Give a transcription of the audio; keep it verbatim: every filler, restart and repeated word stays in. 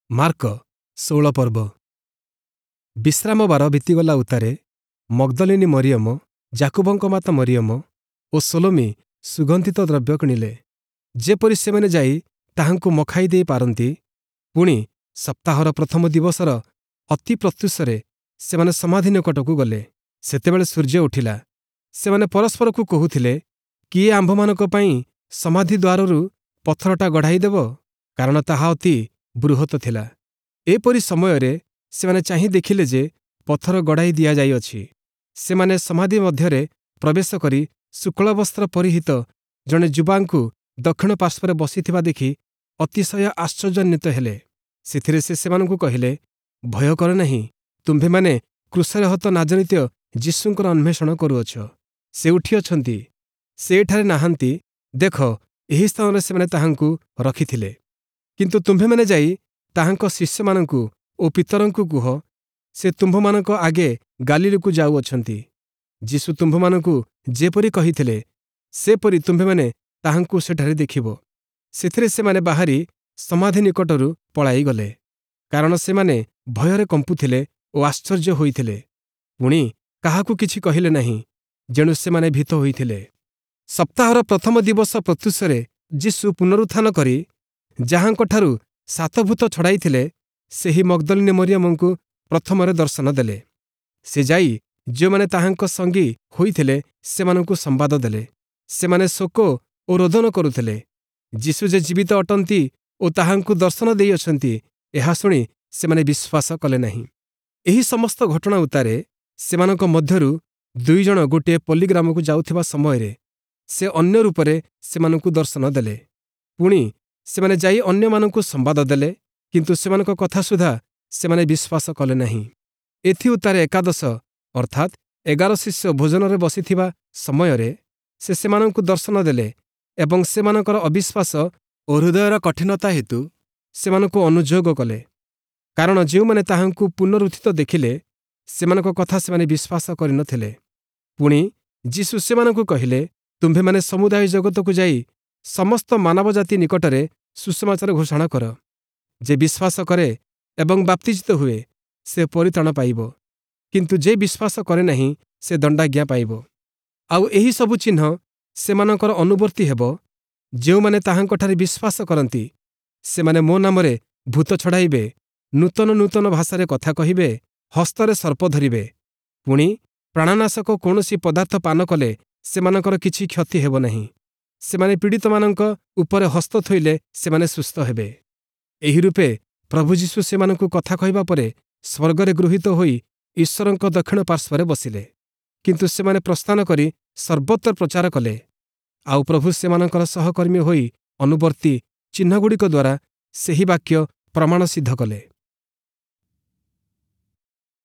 Mark ଷୋହଳ ପର୍ବ ବିଶ୍ରାମବାର ବିତିଗଲା ଉତ୍ତାରେ ମଗ୍ଦଲିନୀ ମରିୟମ, ଯାକୁବଙ୍କ ମାତା ମରିୟମ ଓ ସଲୋମୀ ସୁଗନ୍ଧିତ ଦ୍ରବ୍ୟ କିଣିଲେ, ଯେପରି ସେମାନେ ଯାଇ ତାହାଙ୍କୁ ମଖାଇ ଦେଇ ପାରନ୍ତି। ପୁଣି ସପ୍ତାହର ପ୍ରଥମ ଦିବସର ଅତି ପ୍ରତ୍ୟୁଷରେ ସେମାନେ ସମାଧି ନିକଟକୁ ଗଲେ। ସେତେବେଳେ ସୂର୍ଯ୍ୟ ଉଠିଲା। ସେମାନେ ପରସ୍ପରକୁ କହୁଥିଲେ, କିଏ ଆମ୍ଭମାନଙ୍କ ପାଇଁ ସମାଧି ଦ୍ୱାରରୁ ପଥରଟା ଗଡ଼ାଇ ଦେବ? କାରଣ ତାହା ଅତି ବୃହତ ଥିଲା। ଏପରି ସମୟରେ ସେମାନେ ଚାହିଁ ଦେଖିଲେ ଯେ ପଥର ଗଡ଼ାଇ ଦିଆଯାଇଅଛି। ସେମାନେ ସମାଧି ମଧ୍ୟରେ ପ୍ରବେଶ କରି ଶୁକ୍ଳବସ୍ତ୍ର ପରିହିତ ଜଣେ ଯୁବାଙ୍କୁ ଦକ୍ଷିଣ ପାର୍ଶ୍ୱରେ ବସିଥିବା ଦେଖି ଅତିଶୟ ଆଶ୍ଚର୍ଯ୍ୟାନ୍ୱିତ ହେଲେ। ସେଥିରେ ସେ ସେମାନଙ୍କୁ କହିଲେ, ଭୟ କର ନାହିଁ, ତୁମ୍ଭେମାନେ କ୍ରୁଶରେ ହତ ନାଜରିତୀୟ ଯୀଶୁଙ୍କର ଅନ୍ୱେଷଣ କରୁଅଛ। ସେ ଉଠିଅଛନ୍ତି, ସେ ଏଠାରେ ନାହାନ୍ତି। ଦେଖ, ଏହି ସ୍ଥାନରେ ସେମାନେ ତାହାଙ୍କୁ ରଖିଥିଲେ। କିନ୍ତୁ ତୁମ୍ଭେମାନେ ଯାଇ ତାହାଙ୍କ ଶିଷ୍ୟମାନଙ୍କୁ ଓ ପିତରଙ୍କୁ କୁହ, ସେ ତୁମ୍ଭମାନଙ୍କ ଆଗେ ଗାଲିଲୀକୁ ଯାଉଅଛନ୍ତି। ଯୀଶୁ ତୁମ୍ଭମାନଙ୍କୁ ଯେପରି କହିଥିଲେ, ସେପରି ତୁମ୍ଭେମାନେ ତାହାଙ୍କୁ ସେଠାରେ ଦେଖିବ। ସେଥିରେ ସେମାନେ ବାହାରି ସମାଧି ନିକଟରୁ ପଳାଇଗଲେ, କାରଣ ସେମାନେ ଭୟରେ କମ୍ପୁଥିଲେ ଓ ଆଶ୍ଚର୍ଯ୍ୟ ହୋଇଥିଲେ। ପୁଣି କାହାକୁ କିଛି କହିଲେ ନାହିଁ, ଯେଣୁ ସେମାନେ ଭୀତ ହୋଇଥିଲେ। ସପ୍ତାହର ପ୍ରଥମ ଦିବସ ପ୍ରତ୍ୟୁଷରେ ଯୀଶୁ ପୁନରୁତ୍ଥାନ କରି ଯାହାଙ୍କଠାରୁ ସାତ ଭୂତ ଛଡ଼ାଇଥିଲେ, ସେହି ମଗ୍ଦଲିନୀ ମରିୟମଙ୍କୁ ପ୍ରଥମରେ ଦର୍ଶନ ଦେଲେ। ସେ ଯାଇ ଯେଉଁମାନେ ତାହାଙ୍କ ସଙ୍ଗୀ ହୋଇଥିଲେ, ସେମାନଙ୍କୁ ସମ୍ବାଦ ଦେଲେ। ସେମାନେ ଶୋକ ଓ ରୋଦନ କରୁଥିଲେ। ଯୀଶୁ ଯେ ଜୀବିତ ଅଟନ୍ତି ଓ ତାହାଙ୍କୁ ଦର୍ଶନ ଦେଇଅଛନ୍ତି, ଏହା ଶୁଣି ସେମାନେ ବିଶ୍ୱାସ କଲେ ନାହିଁ। ଏହି ସମସ୍ତ ଘଟଣା ଉତ୍ତାରେ ସେମାନଙ୍କ ମଧ୍ୟରୁ ଦୁଇଜଣ ଗୋଟିଏ ପଲ୍ଲୀଗ୍ରାମକୁ ଯାଉଥିବା ସମୟରେ ସେ ଅନ୍ୟ ରୂପରେ ସେମାନଙ୍କୁ ଦର୍ଶନ ଦେଲେ। ପୁଣି ସେମାନେ ଯାଇ ଅନ୍ୟମାନଙ୍କୁ ସମ୍ବାଦ ଦେଲେ, କିନ୍ତୁ ସେମାନଙ୍କ କଥା ସୁଦ୍ଧା ସେମାନେ ବିଶ୍ୱାସ କଲେ ନାହିଁ। ଏଥି ଉତ୍ତାରେ ଏକାଦଶ ଅର୍ଥାତ୍ ଏଗାର ଶିଷ୍ୟ ଭୋଜନରେ ବସିଥିବା ସମୟରେ ସେ ସେମାନଙ୍କୁ ଦର୍ଶନ ଦେଲେ ଏବଂ ସେମାନଙ୍କର ଅବିଶ୍ୱାସ ଓ ହୃଦୟର କଠିନତା ହେତୁ ସେମାନଙ୍କୁ ଅନୁଯୋଗ କଲେ। କାରଣ ଯେଉଁମାନେ ତାହାଙ୍କୁ ପୁନରୁତ୍ଥିତ ଦେଖିଲେ, ସେମାନଙ୍କ କଥା ସେମାନେ ବିଶ୍ୱାସ କରିନଥିଲେ। ପୁଣି ଯୀଶୁ ସେମାନଙ୍କୁ କହିଲେ, ତୁମ୍ଭେମାନେ ସମୁଦାୟ ଜଗତକୁ ଯାଇ ସମସ୍ତ ମାନବଜାତି ନିକଟରେ ସୁସମାଚାର ଘୋଷଣା କର। ଯେ ବିଶ୍ୱାସ କରେ ଏବଂ ବାପ୍ତିଜିତ ହୁଏ, ସେ ପରିତ୍ରାଣ ପାଇବ, କିନ୍ତୁ ଯେ ବିଶ୍ୱାସ କରେ ନାହିଁ, ସେ ଦଣ୍ଡାଜ୍ଞା ପାଇବ। ଆଉ ଏହି ସବୁ ଚିହ୍ନ ସେମାନଙ୍କର ଅନୁବର୍ତ୍ତୀ ହେବ, ଯେଉଁମାନେ ତାହାଙ୍କଠାରେ ବିଶ୍ୱାସ କରନ୍ତି। ସେମାନେ ମୋ ନାମରେ ଭୂତ ଛଡ଼ାଇବେ, ନୂତନ ନୂତନ ଭାଷାରେ କଥା କହିବେ, ହସ୍ତରେ ସର୍ପ ଧରିବେ, ପୁଣି ପ୍ରାଣନାଶକ କୌଣସି ପଦାର୍ଥ ପାନ କଲେ ସେମାନଙ୍କର କିଛି କ୍ଷତି ହେବ ନାହିଁ। ସେମାନେ ପୀଡ଼ିତମାନଙ୍କ ଉପରେ ହସ୍ତ ଥୋଇଲେ ସେମାନେ ସୁସ୍ଥ ହେବେ। ଏହି ରୂପେ ପ୍ରଭୁ ଯୀଶୁ ସେମାନଙ୍କୁ କଥା କହିବା ପରେ ସ୍ୱର୍ଗରେ ଗୃହୀତ ହୋଇ ଈଶ୍ୱରଙ୍କ ଦକ୍ଷିଣ ପାର୍ଶ୍ୱରେ ବସିଲେ। କିନ୍ତୁ ସେମାନେ ପ୍ରସ୍ଥାନ କରି ସର୍ବତ୍ର ପ୍ରଚାର କଲେ, ଆଉ ପ୍ରଭୁ ସେମାନଙ୍କର ସହକର୍ମୀ ହୋଇ ଅନୁବର୍ତ୍ତୀ ଚିହ୍ନଗୁଡ଼ିକ ଦ୍ୱାରା ସେହି ବାକ୍ୟ ପ୍ରମାଣ ସିଦ୍ଧ କଲେ।